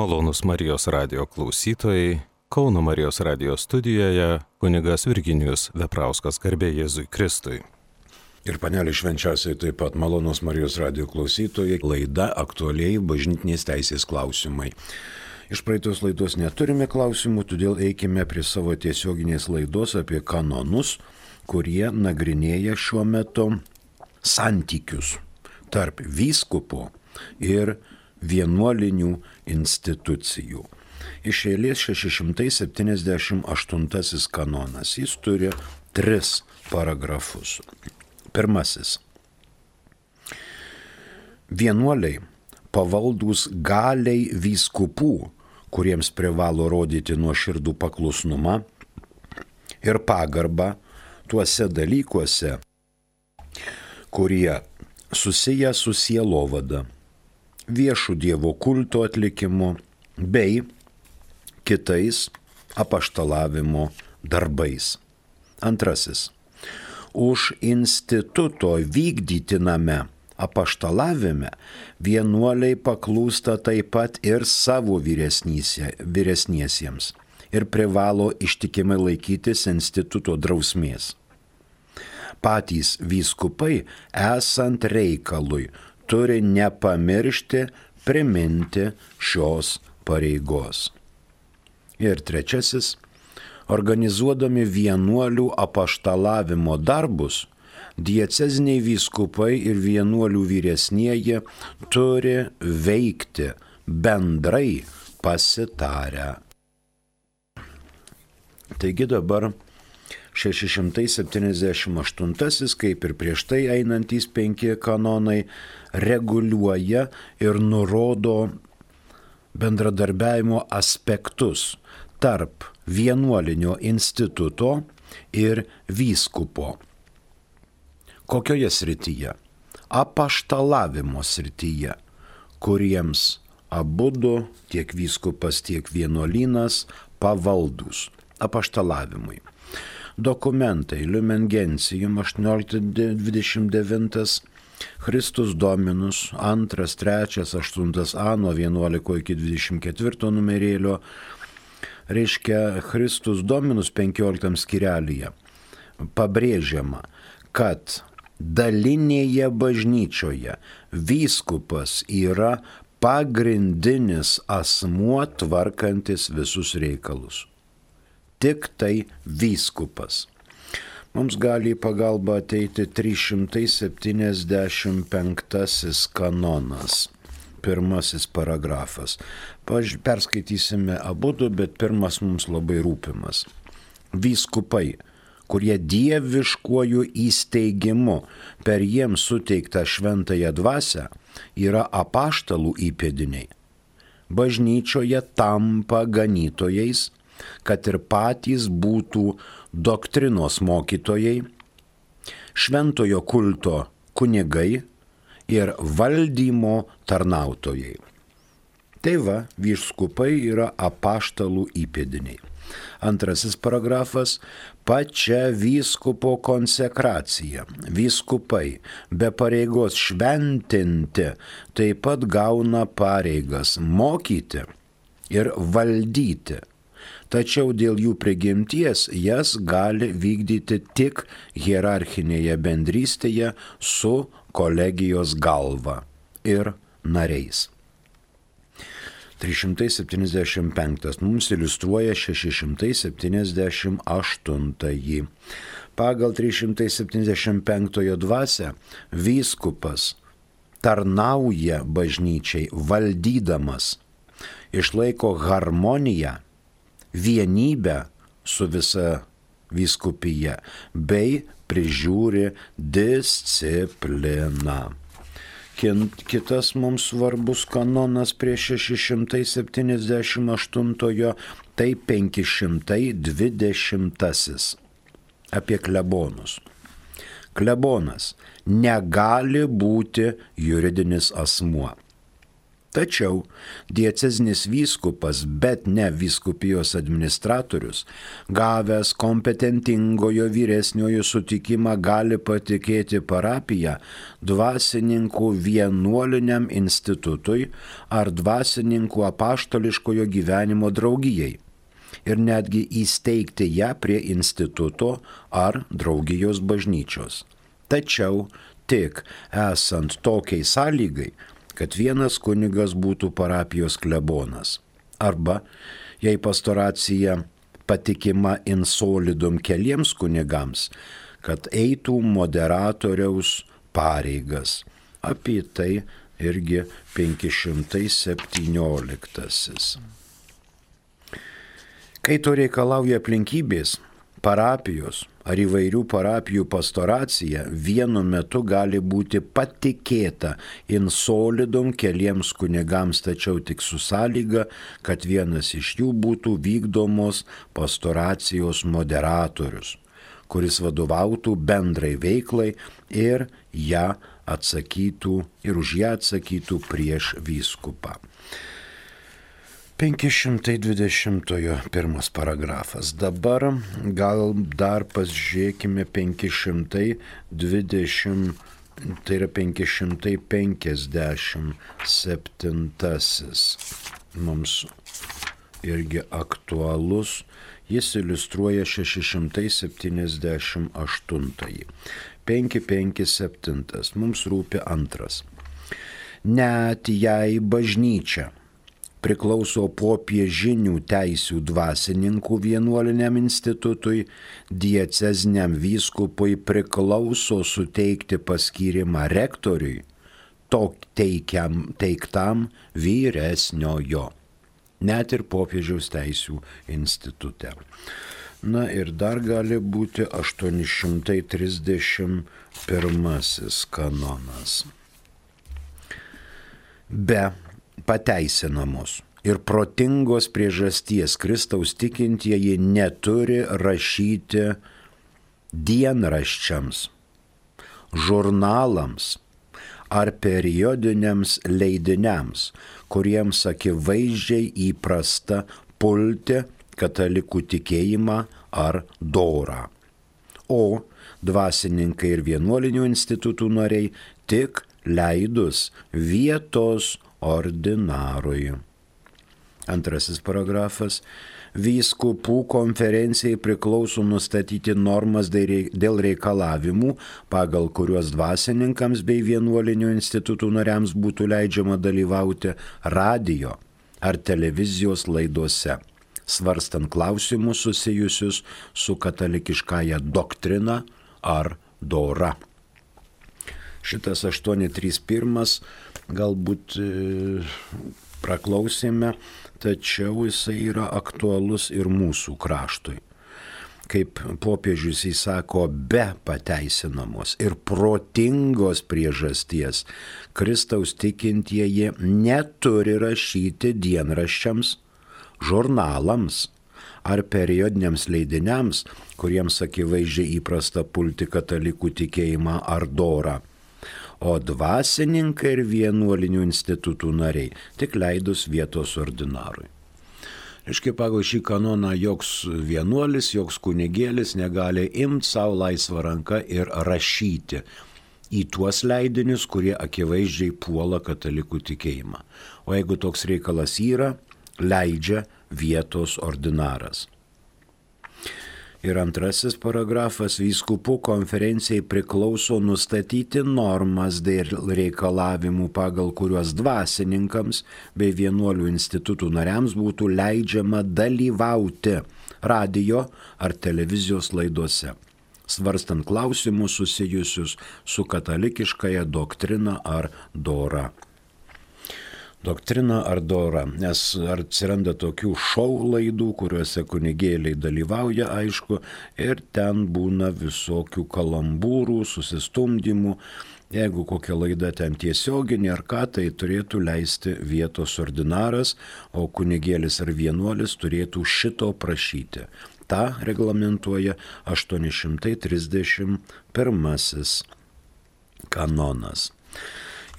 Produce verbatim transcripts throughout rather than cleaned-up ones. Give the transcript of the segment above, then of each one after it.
Malonūs Marijos radijo klausytojai, Kauno Marijos radijo studijoje kunigas Virginijus Veprauskas, garbė Jėzui Kristui. Ir panelė švenčiausiai taip pat malonūs Marijos radijo klausytojai, laida aktualiai bažnytinės teisės klausimai. Iš praeitos laidos neturime klausimų, todėl eikime prie savo tiesioginės laidos apie kanonus, kurie nagrinėja šiuo metu santykius tarp vyskupo ir vienuolinių institucijų. Iš eilės šeši šimtai septyniasdešimt aštuntasis kanonas. Jis turi tris paragrafus. Pirmasis. Vienuoliai pavaldūs galiai vyskupų, kuriems privalo rodyti nuoširdų paklusnumą ir pagarbą tuose dalykuose, kurie susiję su sielovada, viešų Dievo kulto atlikimu bei kitais apaštalavimo darbais. Antrasis. Už instituto vykdytiname apaštalavime vienuoliai paklūsta taip pat ir savo vyresniesiems ir privalo ištikimai laikytis instituto drausmės. Patys vyskupai, esant reikalui, turi nepamiršti priminti šios pareigos. Ir trečiasis, organizuodami vienuolių apaštalavimo darbus, dieceziniai vyskupai ir vienuolių vyresnieji turi veikti bendrai pasitarę. Taigi dabar šeši šimtai septyniasdešimt aštuntasis, kaip ir prieš tai einantys penki kanonai, reguliuoja ir nurodo bendradarbiavimo aspektus tarp vienuolinio instituto ir vyskupo. Kokioje srityje? Apaštalavimo srityje, kuriems abudu, tiek vyskupas, tiek vienuolynas, pavaldūs apaštalavimui. Dokumentai Lumen Gentium aštuonioliktas dvidešimt devintas, Christus Dominus antras, trečias, aštuntas A nuo vienuolikto iki dvidešimt ketvirto numerėlio, reiškia Christus Dominus penkioliktam skyrelyje. Pabrėžiama, kad dalinėje bažnyčioje vyskupas yra pagrindinis asmuo tvarkantis visus reikalus. Tik tai vyskupas. Mums gali į pagalbą ateiti trys šimtai septyniasdešimt penktasis kanonas, pirmasis paragrafas. Perskaitysime abudu, bet pirmas mums labai rūpimas. Vyskupai, kurie dieviškuoju įsteigimu per jiems suteiktą šventąją dvasią, yra apaštalų įpėdiniai. Bažnyčioje tampa ganytojais, kad ir patys būtų doktrinos mokytojai, šventojo kulto kunigai ir valdymo tarnautojai. Tai va, vyskupai yra apaštalų įpėdiniai. Antrasis paragrafas – pačia vyskupo konsekracija. Vyskupai be pareigos šventinti taip pat gauna pareigas mokyti ir valdyti. Tačiau dėl jų prigimties jas gali vykdyti tik hierarchinėje bendrystėje su kolegijos galva ir nariais. trys šimtai septyniasdešimt penktas mums iliustruoja šeši šimtai septyniasdešimt aštuntąjį. Pagal trys šimtai septyniasdešimt penktojo dvasią vyskupas tarnauja bažnyčiai valdydamas, išlaiko harmoniją, vienybę su visa vyskupija bei prižiūri discipliną. Kitas mums svarbus kanonas prie šeši šimtai septyniasdešimt aštuntojo, tai penki šimtai dvidešimtasis apie klebonus. Klebonas negali būti juridinis asmuo. Tačiau diecezinis vyskupas, bet ne vyskupijos administratorius, gavęs kompetentingojo vyresniojo sutikimą, gali patikėti parapiją dvasininkų vienuoliniam institutui ar dvasininkų apaštališkojo gyvenimo draugijai ir netgi įsteigti ją prie instituto ar draugijos bažnyčios. Tačiau tik esant tokiai sąlygai, kad vienas kunigas būtų parapijos klebonas. Arba, jei pastoracija patikima in solidum keliems kunigams, kad eitų moderatoriaus pareigas. Apie tai irgi penki šimtai septynioliktasis. Kai to reikalauja aplinkybės, parapijos ar įvairių parapijų pastoracija vienu metu gali būti patikėta in solidum keliems kunigams, tačiau tik su sąlyga, kad vienas iš jų būtų vykdomos pastoracijos moderatorius, kuris vadovautų bendrai veiklai ir ją atsakytų ir už ją atsakytų prieš vyskupą. penki šimtai dvidešimt pirmas paragrafas. Dabar gal dar pasižiūrėkime penki šimtai dvidešimt, tai yra penki šimtai penkiasdešimt septintasis. Mums irgi aktualus. Jis iliustruoja šeši šimtai septyniasdešimt aštuntąjį. penki penki septintas. Mums rūpi antras. Net jei bažnyčia priklauso popiežinių teisių dvasininkų vienuoliniam institutui, dieceziniam vyskupui priklauso suteikti paskyrimą rektoriui, to teikiam, teiktam vyresniojo, net ir popiežiaus teisių institute. Na ir dar gali būti aštuoni šimtai trisdešimt pirmasis kanonas. Be pateisinamos ir protingos priežasties Kristaus tikintieji neturi rašyti dienraščiams, žurnalams ar periodiniams leidiniams, kuriems akivaizdžiai įprasta pulti katalikų tikėjimą ar dorą. O dvasininkai ir vienuolinių institutų nariai tik leidus vietos ordinarui. Antrasis paragrafas. Vyskupų konferencijai priklauso nustatyti normas dėl reikalavimų, pagal kuriuos dvasininkams bei vienuolinių institutų nariams būtų leidžiama dalyvauti radio ar televizijos laidose, svarstant klausimus susijusius su katalikiškąja doktrina ar dora. Šitas aštuoni trys pirmas galbūt e, praklausėme, tačiau jisai yra aktualus ir mūsų kraštui. Kaip popiežius įsako, be pateisinamos ir protingos priežasties Kristaus tikintieji neturi rašyti dienraščiams, žurnalams ar periodiniams leidiniams, kuriems akivaizdžiai įprasta pulti katalikų tikėjimą ar dorą. O dvasininkai ir vienuolinių institutų nariai tik leidus vietos ordinarui. Reiškia, pagal šį kanoną joks vienuolis, joks kunigėlis negali imti savo laisvą ranką ir rašyti į tuos leidinius, kurie akivaizdžiai puola katalikų tikėjimą. O jeigu toks reikalas yra, leidžia vietos ordinaras. Ir antrasis paragrafas. Vyskupų konferencijai priklauso nustatyti normas dėl reikalavimų, pagal kuriuos dvasininkams bei vienuolių institutų nariams būtų leidžiama dalyvauti radio ar televizijos laidose, svarstant klausimus susijusius su katalikiškąja doktrina ar dora. Doktrina ar dora, nes atsiranda tokių šou laidų, kuriuose kunigėliai dalyvauja, aišku, ir ten būna visokių kalambūrų, susistumdymų. Jeigu kokia laida ten tiesioginė ar ką, tai turėtų leisti vietos ordinaras, o kunigėlis ar vienuolis turėtų šito prašyti. Ta reglamentuoja aštuoni šimtai trisdešimt pirmasis kanonas.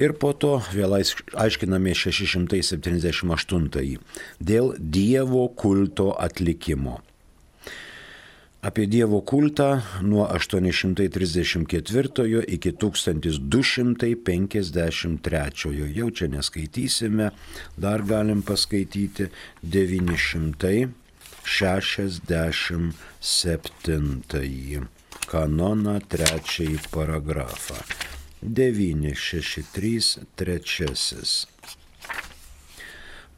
Ir po to vėl aiškiname šeši šimtai septyniasdešimt aštuntąjį dėl Dievo kulto atlikimo. Apie Dievo kultą nuo aštuoni šimtai trisdešimt ketvirtojo iki tūkstantis du šimtai penkiasdešimt trečiojo. Jau čia neskaitysime, dar galim paskaityti devyni šimtai šešiasdešimt septintąjį kanoną trečiąjį paragrafą. devyni šeši trys trečiasis.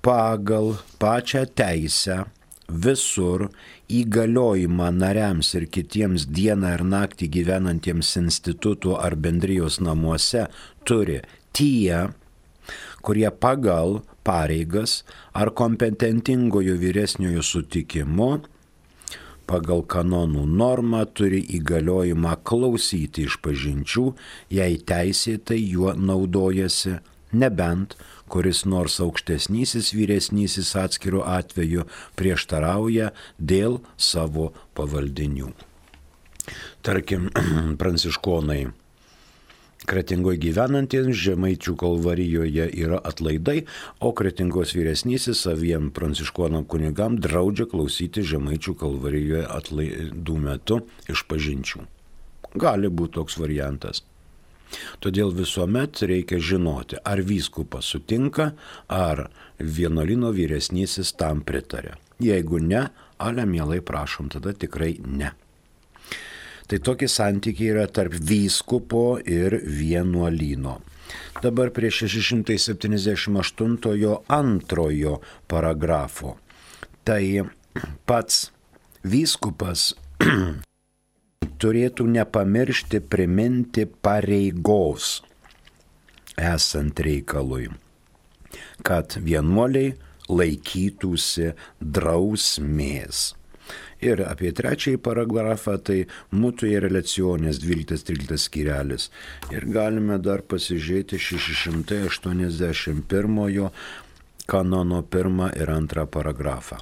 Pagal pačią teisę visur įgaliojimą nariams ir kitiems dieną ir naktį gyvenantiems institutų ar bendrijos namuose turi tie, kurie pagal pareigas ar kompetentingojo vyresniojo sutikimu pagal kanonų normą turi įgaliojimą klausyti išpažinčių, jei teisėtai juo naudojasi, nebent kuris nors aukštesnysis vyresnysis atskiru atveju prieštarauja dėl savo pavaldinių. Tarkim, pranciškonai Kretingoje gyvenantiems Žemaičių kalvarijoje yra atlaidai, o Kretingos vyresnysis saviem pranciškonam kunigam draudžia klausyti Žemaičių kalvarijoje atlaidų metu išpažinčių. Gali būti toks variantas. Todėl visuomet reikia žinoti, ar vyskupas sutinka, ar vienuolyno vyresnysis tam pritarė. Jeigu ne, ale mielai prašom, tada tikrai ne. Tai tokie santykiai yra tarp vyskupo ir vienuolyno. Dabar prie šeši šimtai septyniasdešimt aštuntojo antrojo paragrafo. Tai pats vyskupas turėtų nepamiršti priminti pareigos esant reikalui, kad vienuoliai laikytųsi drausmės. Ir apie trečiąjį paragrafą tai mutuae relationes dvyliktas tryliktas skyrelis. Ir galime dar pasižiūrėti šeši šimtai aštuoniasdešimt pirmojo kanono pirmą ir antrą paragrafą.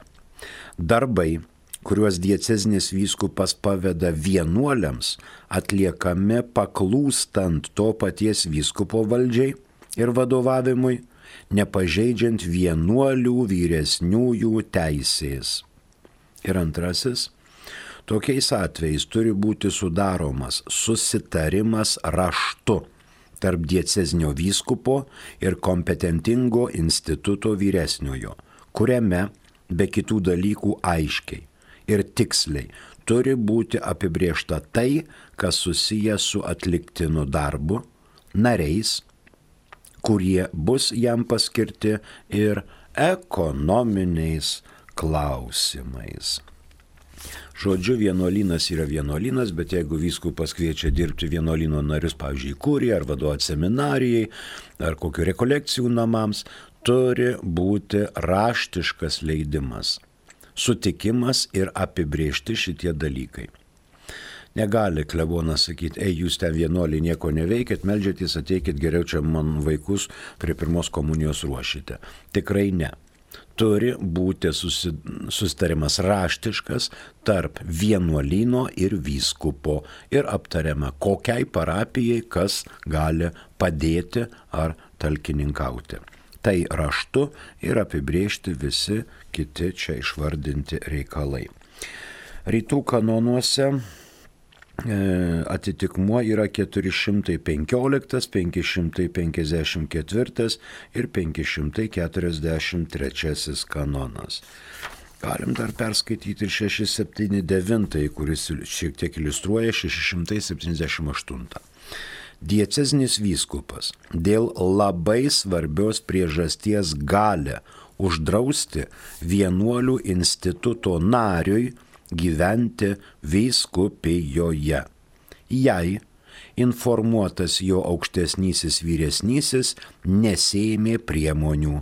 Darbai, kuriuos diecezinis vyskupas paveda vienuoliams, atliekami paklūstant to paties vyskupo valdžiai ir vadovavimui, nepažeidžiant vienuolių vyresniųjų teisės. Ir antrasis, tokiais atvejais turi būti sudaromas susitarimas raštu tarp diecezinio vyskupo ir kompetentingo instituto vyresniojo, kuriame be kitų dalykų aiškiai ir tiksliai turi būti apibriešta tai, kas susiję su atliktinu darbu, nariais, kurie bus jam paskirti, ir ekonominiais klausimais. Žodžiu, vienuolynas yra vienuolynas, bet jeigu vyskupas kviečia dirbti vienuolyno narius, pavyzdžiui, kurijai ar vadovauti seminarijai ar kokių rekolekcijų namams, turi būti raštiškas leidimas, sutikimas ir apibriežti šitie dalykai. Negali klebonas sakyti, ei, jūs ten vienuoliai nieko neveikit, meldžiatės, ateikit geriau čia man vaikus prie pirmos komunijos ruošite. Tikrai ne. Turi būti susitarimas raštiškas tarp vienuolyno ir vyskupo ir aptariama, kokiai parapijai kas gali padėti ar talkininkauti. Tai raštu ir apibriežti visi kiti čia išvardinti reikalai. Rytų kanonuose atitikmuo yra keturi šimtai penkioliktas, penki šimtai penkiasdešimt ketvirtas ir penki šimtai keturiasdešimt trečiasis kanonas. Galim dar perskaityti ir šeši septyni devyni, kuris šiek tiek iliustruoja šeši šimtai septyniasdešimt aštuntą. Diecezinis vyskupas dėl labai svarbios priežasties gali uždrausti vienuolių instituto nariui gyventi vyskupijoje, jei informuotas jo aukštesnysis vyresnysis nesėmė priemonių.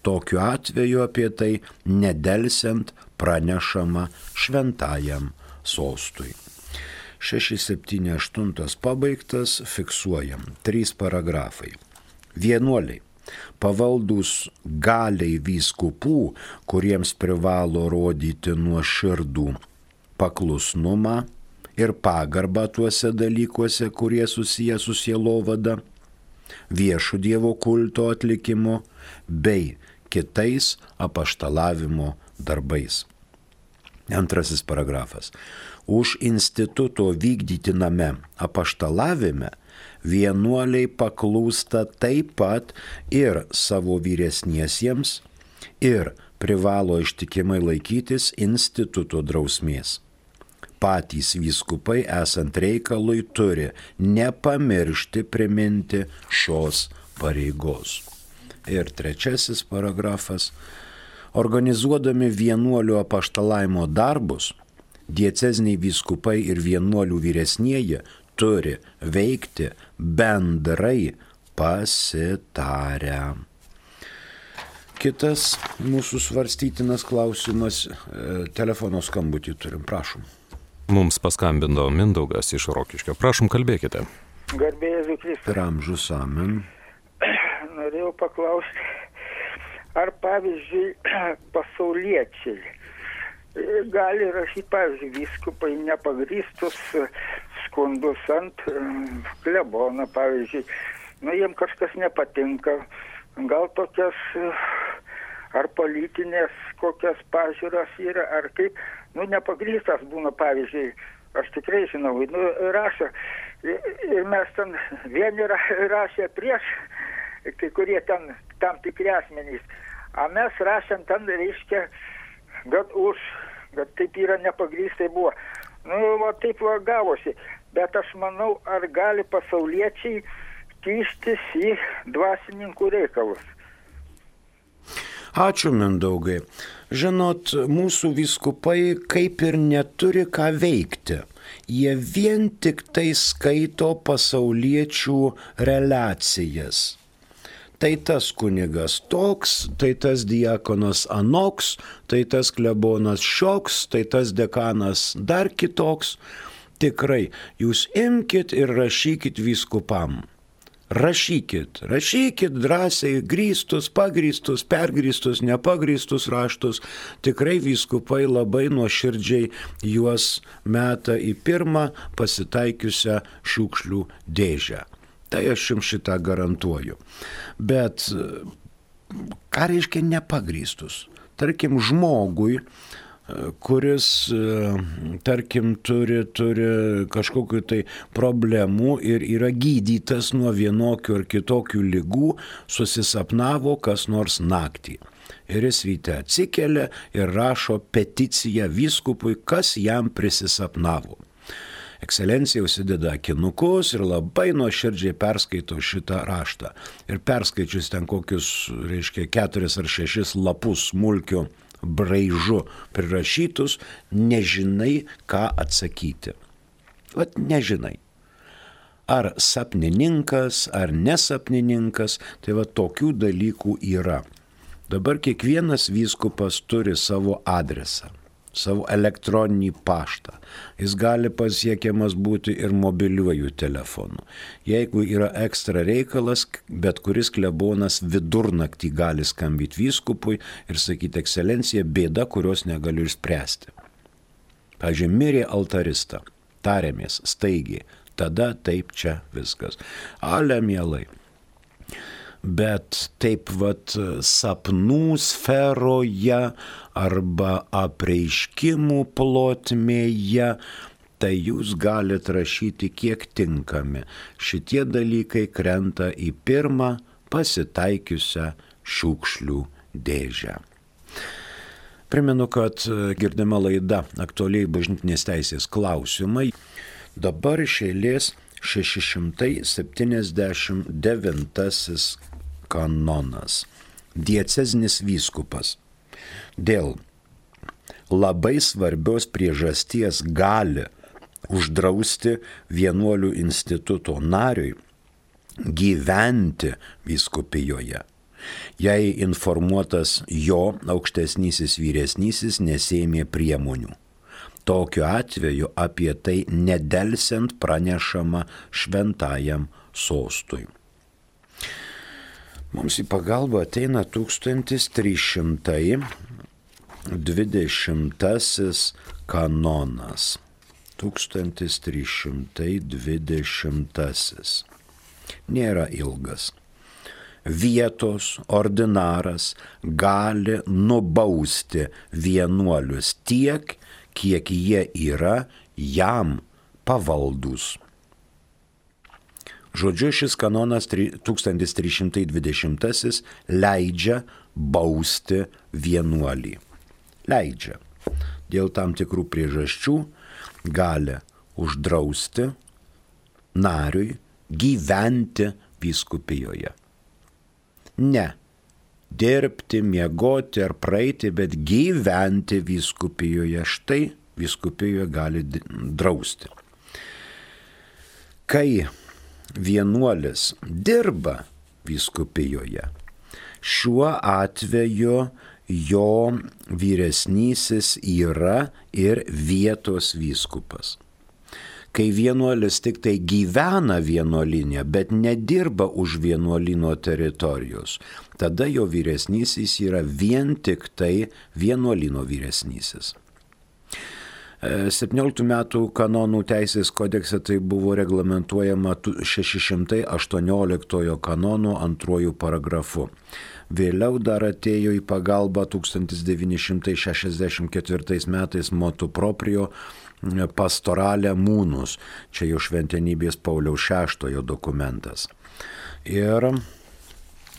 Tokiu atveju apie tai nedelsiant pranešama šventajam sostui. šeši septyni aštuoni pabaigtas, fiksuojam. Trys paragrafai. Vienuoliai. Pavaldus galiai vyskupų, kuriems privalo rodyti nuoširdų paklusnumą ir pagarbą tuose dalykuose, kurie susiję su sielovada, viešų Dievo kulto atlikimu bei kitais apaštalavimo darbais. Antrasis paragrafas. Už instituto vykdytiname apaštalavime vienuoliai paklūsta taip pat ir savo vyresniesiems ir privalo ištikimai laikytis instituto drausmės. Patys vyskupai esant reikalui turi nepamiršti priminti šios pareigos. Ir trečiasis paragrafas. Organizuodami vienuolių apaštalavimo darbus, dieceziniai vyskupai ir vienuolių vyresnieji turi veikti bendrai pasitarę. Kitas mūsų svarstytinas klausimas, telefono skambutį turim, prašom. Mums paskambino Mindaugas iš Rokiškio. Prašom, kalbėkite. Garbė Jėzui Kristui. Per amžius, amen. Norėjau paklausti, ar pavyzdžiui pasauliečiai gali rašyti, pavyzdžiui, vyskupai nepagrįstus skundus ant klebono, pavyzdžiui, nu jiem kažkas nepatinka, gal tokias ar politinės kokias pažiūros yra, ar kaip, nu nepagrįstas būna, pavyzdžiui, aš tikrai žinau, nu rašo, ir mes ten vieni rašė prieš, kai kurie ten tam tikri asmenys, o mes rašėm ten, reiškia, kad už, kad taip yra nepagrįstai buvo. Nu, va taip va gavosi, bet aš manau, ar gali pasauliečiai kištis į dvasininkų reikalus. Ačiū, Mindaugai. Žinot, mūsų vyskupai kaip ir neturi ką veikti. Jie vien tik tai skaito pasauliečių relacijas. Tai tas kunigas toks, tai tas diakonas anoks, tai tas klebonas šioks, tai tas dekanas dar kitoks. Tikrai, jūs imkit ir rašykit vyskupam. Rašykit, rašykit drąsiai grįstus, pagrįstus, pergrįstus, nepagrįstus raštus. Tikrai vyskupai labai nuoširdžiai juos meta į pirmą pasitaikiusią šiukšlių dėžę. Tai aš jums šitą garantuoju. Bet ką reiškia nepagrįstus? Tarkim, žmogui, kuris, tarkim, turi, turi kažkokių tai problemų ir yra gydytas nuo vienokių ar kitokių ligų, susisapnavo kas nors naktį. Ir jis ryte atsikelia ir rašo peticiją vyskupui, kas jam prisisapnavo. Ekscelencija užsideda akinukus ir labai nuoširdžiai perskaito šitą raštą. Ir perskaičius ten kokius, reiškia, keturis ar šešis lapus smulkių braižu prirašytus, nežinai, ką atsakyti. Vat nežinai. Ar sapnininkas, ar nesapnininkas, tai va tokių dalykų yra. Dabar kiekvienas vyskupas turi savo adresą, savo elektroninį paštą. Jis gali pasiekiamas būti ir mobiliuoju telefonu. Jeigu yra ekstra reikalas, bet kuris klebonas vidurnaktį gali skambyti vyskupui ir sakyti, ekscelencija, bėda, kurios negaliu išspręsti. Pavyzdžiui, mirė altarista, tarėmės staigiai, tada taip čia viskas. Ale mielai. Bet taip vat sapnų sferoje arba apreiškimų plotmėje, tai jūs galite rašyti kiek tinkami. Šitie dalykai krenta į pirmą pasitaikiusią šiukšlių dėžę. Primenu, kad girdima laida aktualiai bažnytinės teisės klausimai. Dabar iš eilės šeši šimtai septyniasdešimt devintasis kanonas. Diecezinis vyskupas dėl labai svarbios priežasties gali uždrausti vienuolių instituto nariui gyventi vyskupijoje, jei informuotas jo aukštesnysis vyresnysis nesėmė priemonių. Tokiu atveju apie tai nedelsiant pranešama šventajam sostui. Mums į pagalbą ateina tūkstantis trys šimtai dvidešimtasis kanonas. tūkstantis trys šimtai dvidešimtasis. nėra ilgas. Vietos ordinaras gali nubausti vienuolius tiek, kiek jie yra jam pavaldus. Žodžiu, šis kanonas tūkstantis trys šimtai dvidešimtasis leidžia bausti vienuolį. Leidžia. Dėl tam tikrų priežasčių gali uždrausti nariui gyventi vyskupijoje. Ne dirbti, miegoti ar praeiti, bet gyventi vyskupijoje. Štai vyskupijoje gali drausti. Kai vienuolis dirba vyskupijoje, šiuo atveju jo vyresnysis yra ir vietos vyskupas. Kai vienuolis tik tai gyvena vienuolinė, bet nedirba už vienuolino teritorijos, tada jo vyresnysis yra vien tik tai vienuolino vyresnysis. septynioliktų metų kanonų teisės kodekse tai buvo reglamentuojama šeši šimtai aštuonioliktojo kanono antruoju paragrafu. Vėliau dar atėjo į pagalbą tūkstantis devyni šimtai šešiasdešimt ketvirtais metais motu proprio pastorale munus, čia jau šventenybės Pauliaus šeštojo dokumentas. Ir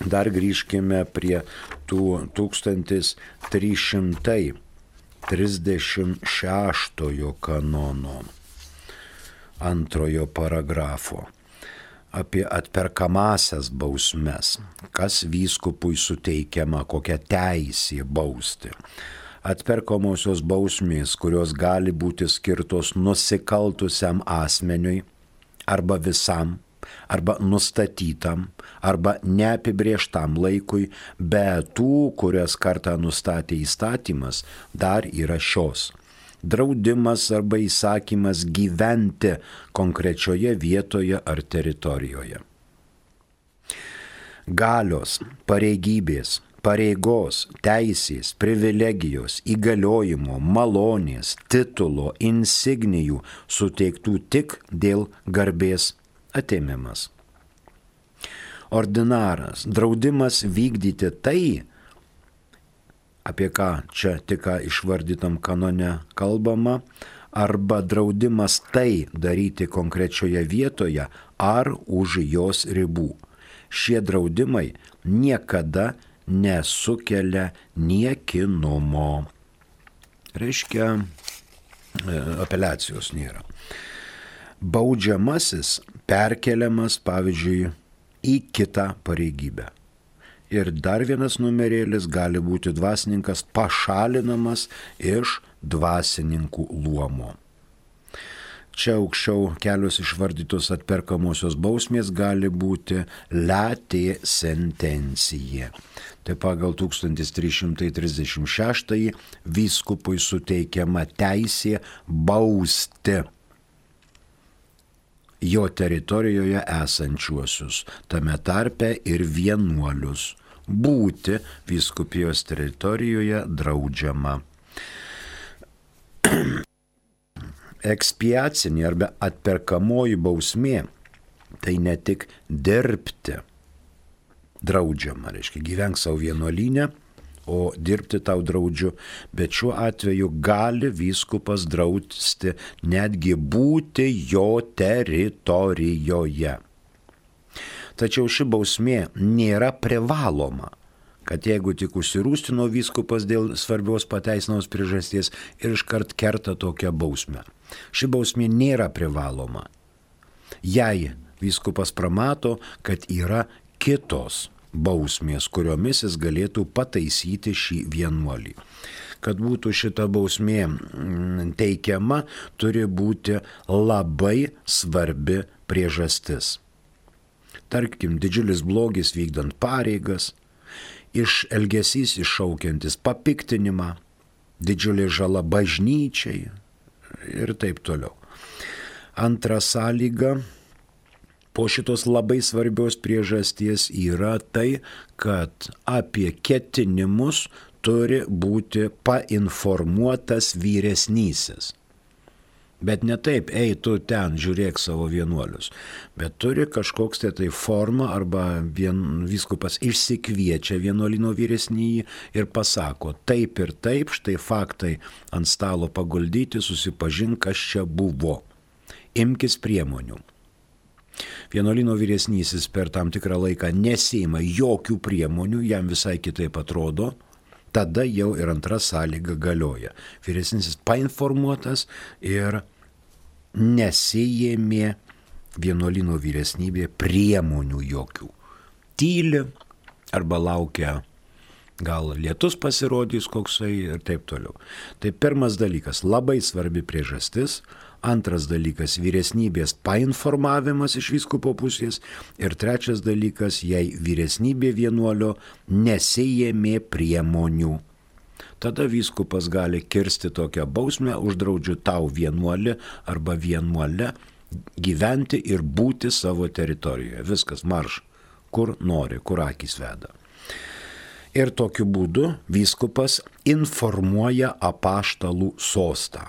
dar grįžkime prie tų tūkstantis trys šimtai trisdešimt šeštojo kanono antrojo paragrafo apie atperkamasias bausmes, kas vyskupui suteikiama, kokia teisė bausti. Atperkamosios bausmės, kurios gali būti skirtos nusikaltusiam asmeniui arba visam, arba nustatytam, arba neapibrėžtam laikui, be tų, kurias kartą nustatė įstatymas, dar yra šios. Draudimas arba įsakymas gyventi konkrečioje vietoje ar teritorijoje. Galios, pareigybės, pareigos, teisės, privilegijos, įgaliojimo, malonės, titulo, insignijų suteiktų tik dėl garbės atėmimas. Ordinaras, draudimas vykdyti tai, apie ką čia tik išvardytam kanone kalbama, arba draudimas tai daryti konkrečioje vietoje ar už jos ribų. Šie draudimai niekada nesukelia niekinumo. Reiškia, apeliacijos nėra. Baudžiamasis perkeliamas, pavyzdžiui, į kitą pareigybę. Ir dar vienas numerėlis gali būti dvasininkas pašalinamas iš dvasininkų luomo. Čia aukščiau kelios išvardytos atperkamosios bausmės gali būti letė sentencija. Tai pagal tūkstantis trys šimtai trisdešimt šeštąjį vyskupui suteikiama teisė bausti jo teritorijoje esančiuosius, tame tarpe ir vienuolius. Būti vyskupijos teritorijoje draudžiama. Ekspiacinė arba atperkamoji bausmė tai ne tik dirbti draudžiama, reiškia gyvenk savo vienuolyne, o dirbti tau draudžiu, bet šiuo atveju gali vyskupas drausti netgi būti jo teritorijoje. Tačiau ši bausmė nėra privaloma, kad jeigu tik užsirūstino vyskupas dėl svarbios pateisinamos priežasties ir iškart kerta tokią bausmę. Ši bausmė nėra privaloma. Jei vyskupas pramato, kad yra kitos bausmės, kuriomis jis galėtų pataisyti šį vienuolį. Kad būtų šita bausmė teikiama, turi būti labai svarbi priežastis. Tarkim, didžiulis blogis vykdant pareigas, iš elgesys iššaukiantis papiktinimą, didžiulė žala bažnyčiai ir taip toliau. Antra sąlyga po šitos labai svarbios priežasties yra tai, kad apie ketinimus turi būti painformuotas vyresnysis. Bet ne taip, ei, tu ten žiūrėk savo vienuolius, bet turi kažkoks tai tai forma arba vien, vyskupas išsikviečia vienuolino vyresnįjį ir pasako, taip ir taip, štai faktai ant stalo paguldyti, susipažink, kas čia buvo. Imkis priemonių. Vienuolino vyresnysis per tam tikrą laiką nesiima jokių priemonių, jam visai kitaip atrodo, tada jau ir antra sąlyga galioja. Vyresnysis painformuotas ir nesijėmė vienuolino vyresnybė priemonių jokių. Tyli arba laukia, gal lietus pasirodys koksai ir taip toliau. Tai pirmas dalykas, labai svarbi priežastis. Antras dalykas, vyresnybės painformavimas iš vyskupo pusės. Ir trečias dalykas, jei vyresnybė vienuolio nesijėmė priemonių. Tada vyskupas gali kirsti tokią bausmę, uždraudžiu tau vienuolį arba vienuolę gyventi ir būti savo teritorijoje. Viskas, marš, kur nori, kur akys veda. Ir tokiu būdu vyskupas informuoja apaštalų sostą.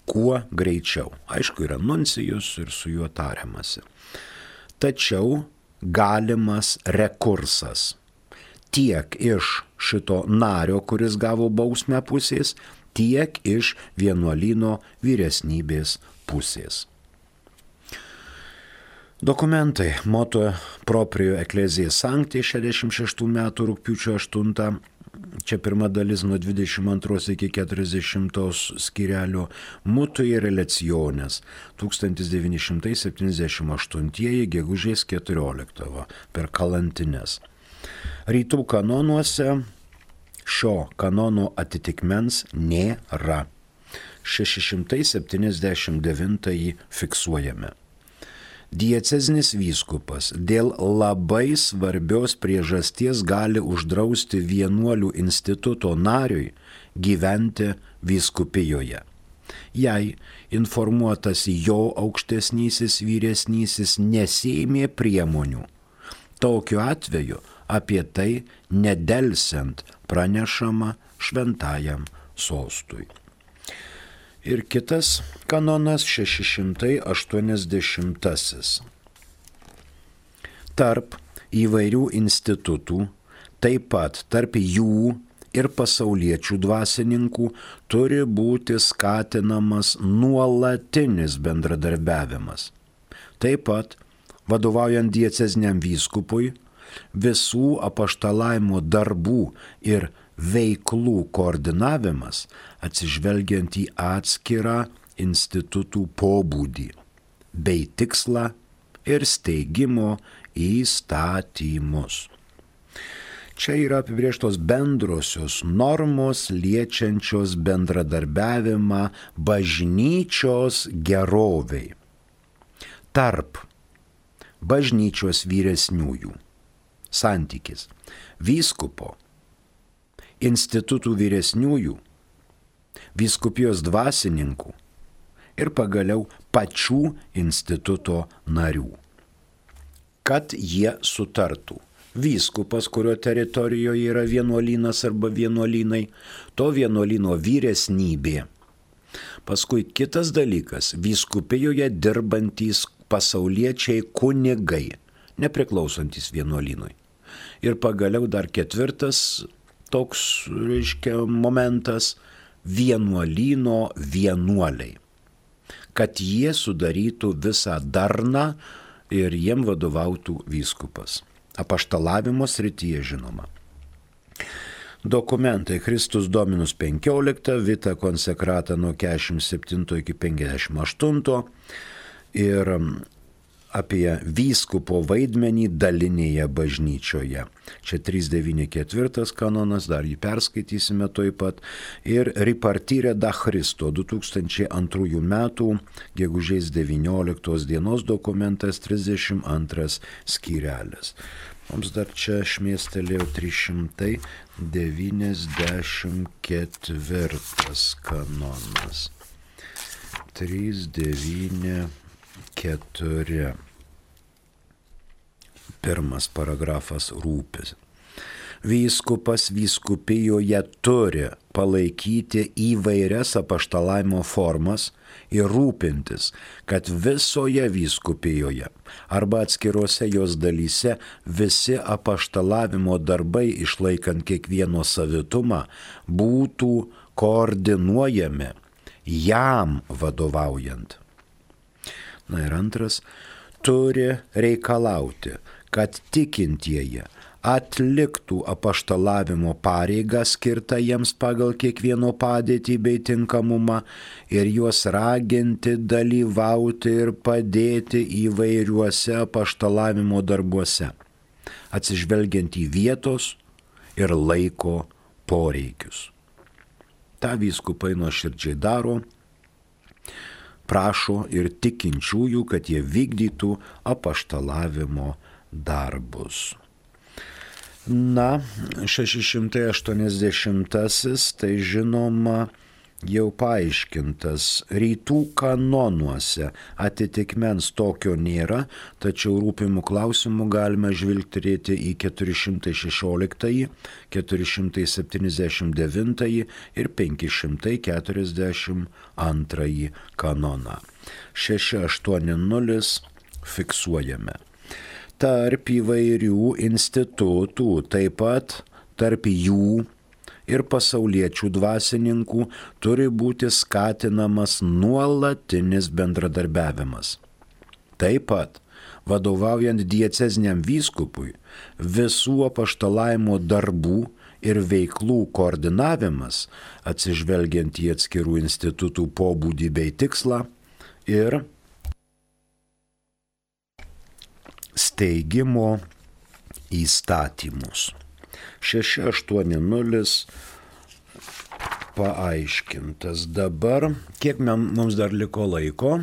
Kuo greičiau. Aišku, yra nuncijus ir su juo tariamasi. Tačiau galimas rekursas tiek iš šito nario, kuris gavo bausmę pusės, tiek iš vienuolino vyresnybės pusės. Dokumentai. Motu proprio Ecclesiae Sancti šešiasdešimt šeštų metų rugpjūčio aštuntą. Čia pirma dalis nuo dvidešimt antros iki keturiasdešimtos skyrelio. Mutui relaciones tūkstantis devyni šimtai septyniasdešimt aštuntieji gegužės keturioliktą per kalantines. Rytų kanonuose šio kanono atitikmens nėra. šeši šimtai septyniasdešimt devintąjį fiksuojame. Diecezinis vyskupas dėl labai svarbios priežasties gali uždrausti vienuolių instituto nariui gyventi vyskupijoje. Jei informuotas jo aukštesnysis vyresnysis nesėmė priemonių, tokiu atveju apie tai nedelsiant pranešama šventajam sostui. Ir kitas kanonas šeši šimtai aštuoniasdešimtasis. Tarp įvairių institutų, taip pat tarp jų ir pasauliečių dvasininkų turi būti skatinamas nuolatinis bendradarbiavimas. Taip pat, vadovaujant dieceziniam vyskupui, visų apaštalavimo darbų ir veiklų koordinavimas atsižvelgiant į atskirą institutų pobūdį bei tikslą ir steigimo įstatymus. Čia yra apibrėžtos bendrosios normos liečiančios bendradarbiavimą bažnyčios geroviai tarp bažnyčios vyresniųjų. Santykis vyskupo, institutų vyresniųjų, vyskupijos dvasininkų ir pagaliau pačių instituto narių. Kad jie sutartų. Vyskupas, kurio teritorijoje yra vienuolynas arba vienuolynai, to vienuolyno vyresnybė. Paskui kitas dalykas, vyskupijoje dirbantys pasauliečiai kunigai, nepriklausantys vienuolynui. Ir pagaliau dar ketvirtas toks, reiškia, momentas vienuolyno vienuoliai. Kad jie sudarytų visą darną ir jiem vadovautų vyskupas. Apaštalavimo srityje žinoma. Dokumentai Christus Dominus penkiolika, Vita Consecrata nuo keturiasdešimt septinto iki penkiasdešimt aštunto ir apie vyskupo vaidmenį dalinėje bažnyčioje. Čia trys devyni ketvirtas kanonas, dar jį perskaitysime toj pat. Ir Ripartire da Christo du tūkstančiai antrųjų metų gegužės devynioliktos dienos dokumentas trisdešimt antras skyrelis. Mums dar čia šmėstelėjo trys šimtai devyniasdešimt ketvirtas kanonas. trys devyni keturi. Pirmas paragrafas rūpis. Vyskupas vyskupijoje turi palaikyti įvairias apaštalavimo formas ir rūpintis, kad visoje vyskupijoje arba atskiruose jos dalyse visi apaštalavimo darbai, išlaikant kiekvieno savitumą, būtų koordinuojami jam vadovaujant. Na ir antras, turi reikalauti, kad tikintieji atliktų apaštalavimo pareigą skirtą jiems pagal kiekvieno padėtį bei tinkamumą ir juos raginti dalyvauti ir padėti įvairiuose apaštalavimo darbuose, atsižvelgiant į vietos ir laiko poreikius. Ta vyskupai nuoširdžiai daro, prašo ir tikinčiųjų, kad jie vykdytų apaštalavimo darbus. Na, šeši šimtai aštuoniasdešimtasis, tai žinoma jau paaiškintas. Rytų kanonuose atitikmens tokio nėra, tačiau rūpimų klausimų galime žvilgterėti į keturi šimtai šešioliktąjį, keturi šimtai septyniasdešimt devintąjį ir penki šimtai keturiasdešimt antrąjį kanoną. šeši aštuoni nulis fiksuojame. Tarp įvairių institutų, taip pat tarp jų ir pasauliečių dvasininkų turi būti skatinamas nuolatinis bendradarbiavimas. Taip pat, vadovaujant dieceziniam vyskupui, visų apaštalavimo darbų ir veiklų koordinavimas, atsižvelgiant į atskirų institutų pobūdį bei tikslą ir steigimo įstatymus. šeši aštuoni nulis paaiškintas. Dabar, kiek mums dar liko laiko?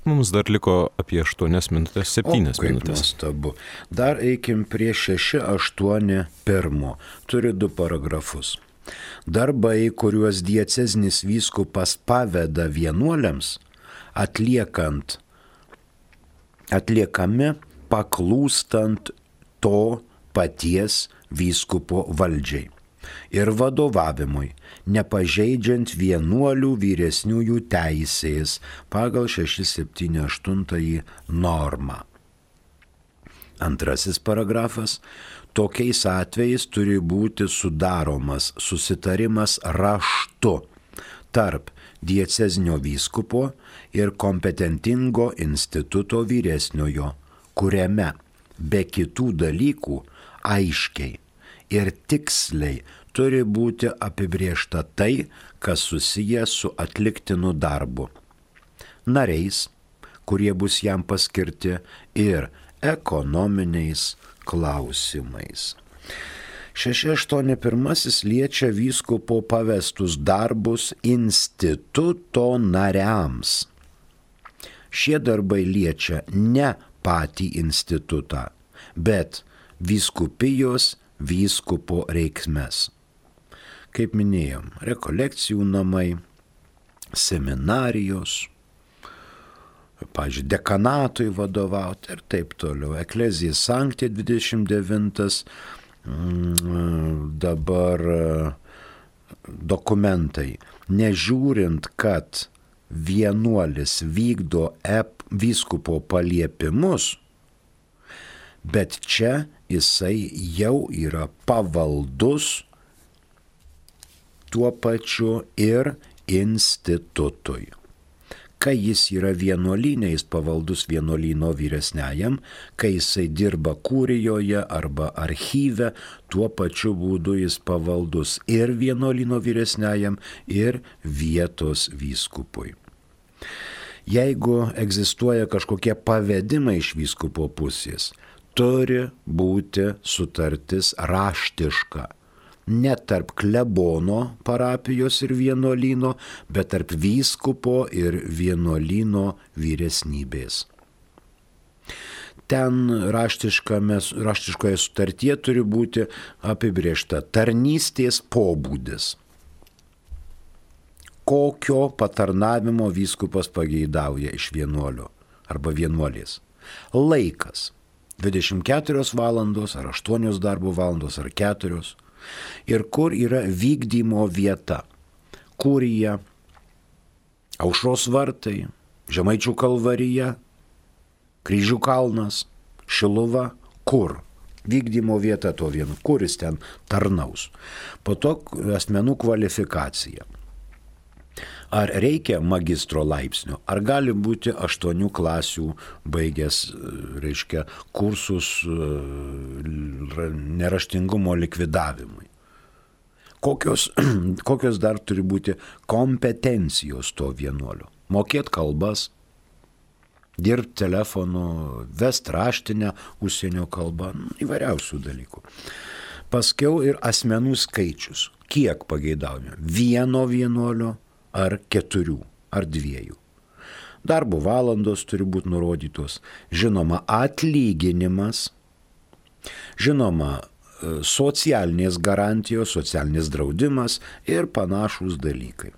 Mums dar liko apie aštuonias minutės, septynias minutės. Nuostabu. Dar eikim prie šeši aštuoni pirmo. Turi du paragrafus. Darbai, kuriuos diecezinis vyskupas paveda vienuoliams, atliekant, atliekami paklūstant to paties vyskupo valdžiai ir vadovavimui, nepažeidžiant vienuolių vyresniųjų teisės pagal šeši septyni aštuntąjį normą. Antrasis paragrafas. Tokiais atvejais turi būti sudaromas susitarimas raštu tarp diecezinio vyskupo ir kompetentingo instituto vyresniojo, kuriame be kitų dalykų aiškiai ir tiksliai turi būti apibriešta tai, kas susiję su atliktinu darbu, nariais, kurie bus jam paskirti, ir ekonominiais klausimais. šeši aštuoni pirmasis liečia vyskupo pavestus darbus instituto nariams. Šie darbai liečia ne patį institutą, bet vyskupijos vyskupo reikmes. Kaip minėjom, rekolekcijų namai, seminarijos, pavyzdžiui, dekanatui vadovauti ir taip toliau. Eklezija Sancti dvidešimt devintas, dabar dokumentai. Nežiūrint, kad vienuolis vykdo ep, vyskupo paliepimus, bet čia jisai jau yra pavaldus tuo pačiu ir institutui. Kai jis yra vienuolyne, jis pavaldus vienuolyno vyresniajam, kai jisai dirba kūrijoje arba archyve, tuo pačiu būdu jis pavaldus ir vienuolyno vyresniajam, ir vietos vyskupui. Jeigu egzistuoja kažkokie pavedimai iš vyskupo pusės, turi būti sutartis raštiška. Ne tarp klebono parapijos ir vienuolyno, bet tarp vyskupo ir vienuolyno vyresnybės. Ten raštiškoje sutartyje turi būti apibrėžta tarnystės pobūdis. Kokio patarnavimo vyskupas pageidauja iš vienuolio arba vienuolės. Laikas. dvidešimt keturios valandos, ar aštuonios darbo valandos, ar keturios. Ir kur yra vykdymo vieta. Kurija, Aušros vartai, Žemaičių kalvarija, Kryžių kalnas, Šiluva, kur. Vykdymo vieta to vieno, kuris ten tarnaus. Po to asmenų kvalifikacija. Ar reikia magistro laipsnio, ar gali būti aštuonių klasių baigęs, reiškia, kursus neraštingumo likvidavimui. Kokios, kokios dar turi būti kompetencijos to vienuolio. Mokėt kalbas, dirbti telefonu, vest raštinę užsienio kalbą, įvairiausių dalykų. Paskiau ir asmenų skaičius. Kiek pageidaujame? Vieno vienuolio ar keturių ar dviejų. Darbo valandos turi būti nurodytos. Žinoma, atlyginimas. Žinoma, socialinės garantijos, socialinis draudimas ir panašūs dalykai.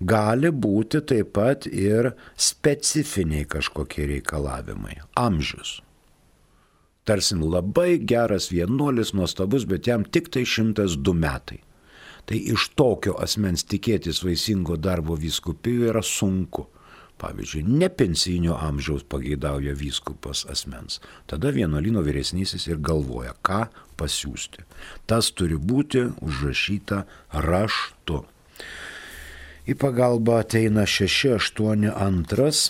Gali būti taip pat ir specifiniai kažkokie reikalavimai. Amžius. Tarsim, labai geras vienuolis, nuostabus, bet jam tik tai šimtas du metai. Tai iš tokio asmens tikėtis vaisingo darbo vyskupijoje yra sunku. Pavyzdžiui, nepensijinio amžiaus pageidauja vyskupas asmens. Tada vienuolyno vyresnysis ir galvoja, ką pasiųsti. Tas turi būti užrašyta raštu. Į pagalbą ateina šeši aštuoni antras.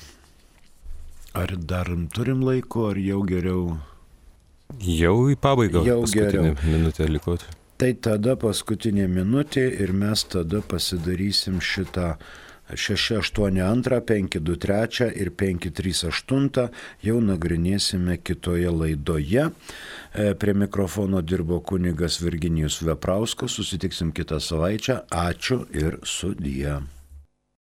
Ar dar turim laiko, ar jau geriau? Jau į pabaigą. Jau paskutinę geriau. minutę likot. Tai tada paskutinė minutė ir mes tada pasidarysim šitą šeši aštuoni antrą, penki du trečią ir penki trys aštuntą. Jau nagrinėsime kitoje laidoje. Prie mikrofono dirbo kunigas Virginijus Veprauskas. Susitiksim kitą savaitę. Ačiū ir sudie.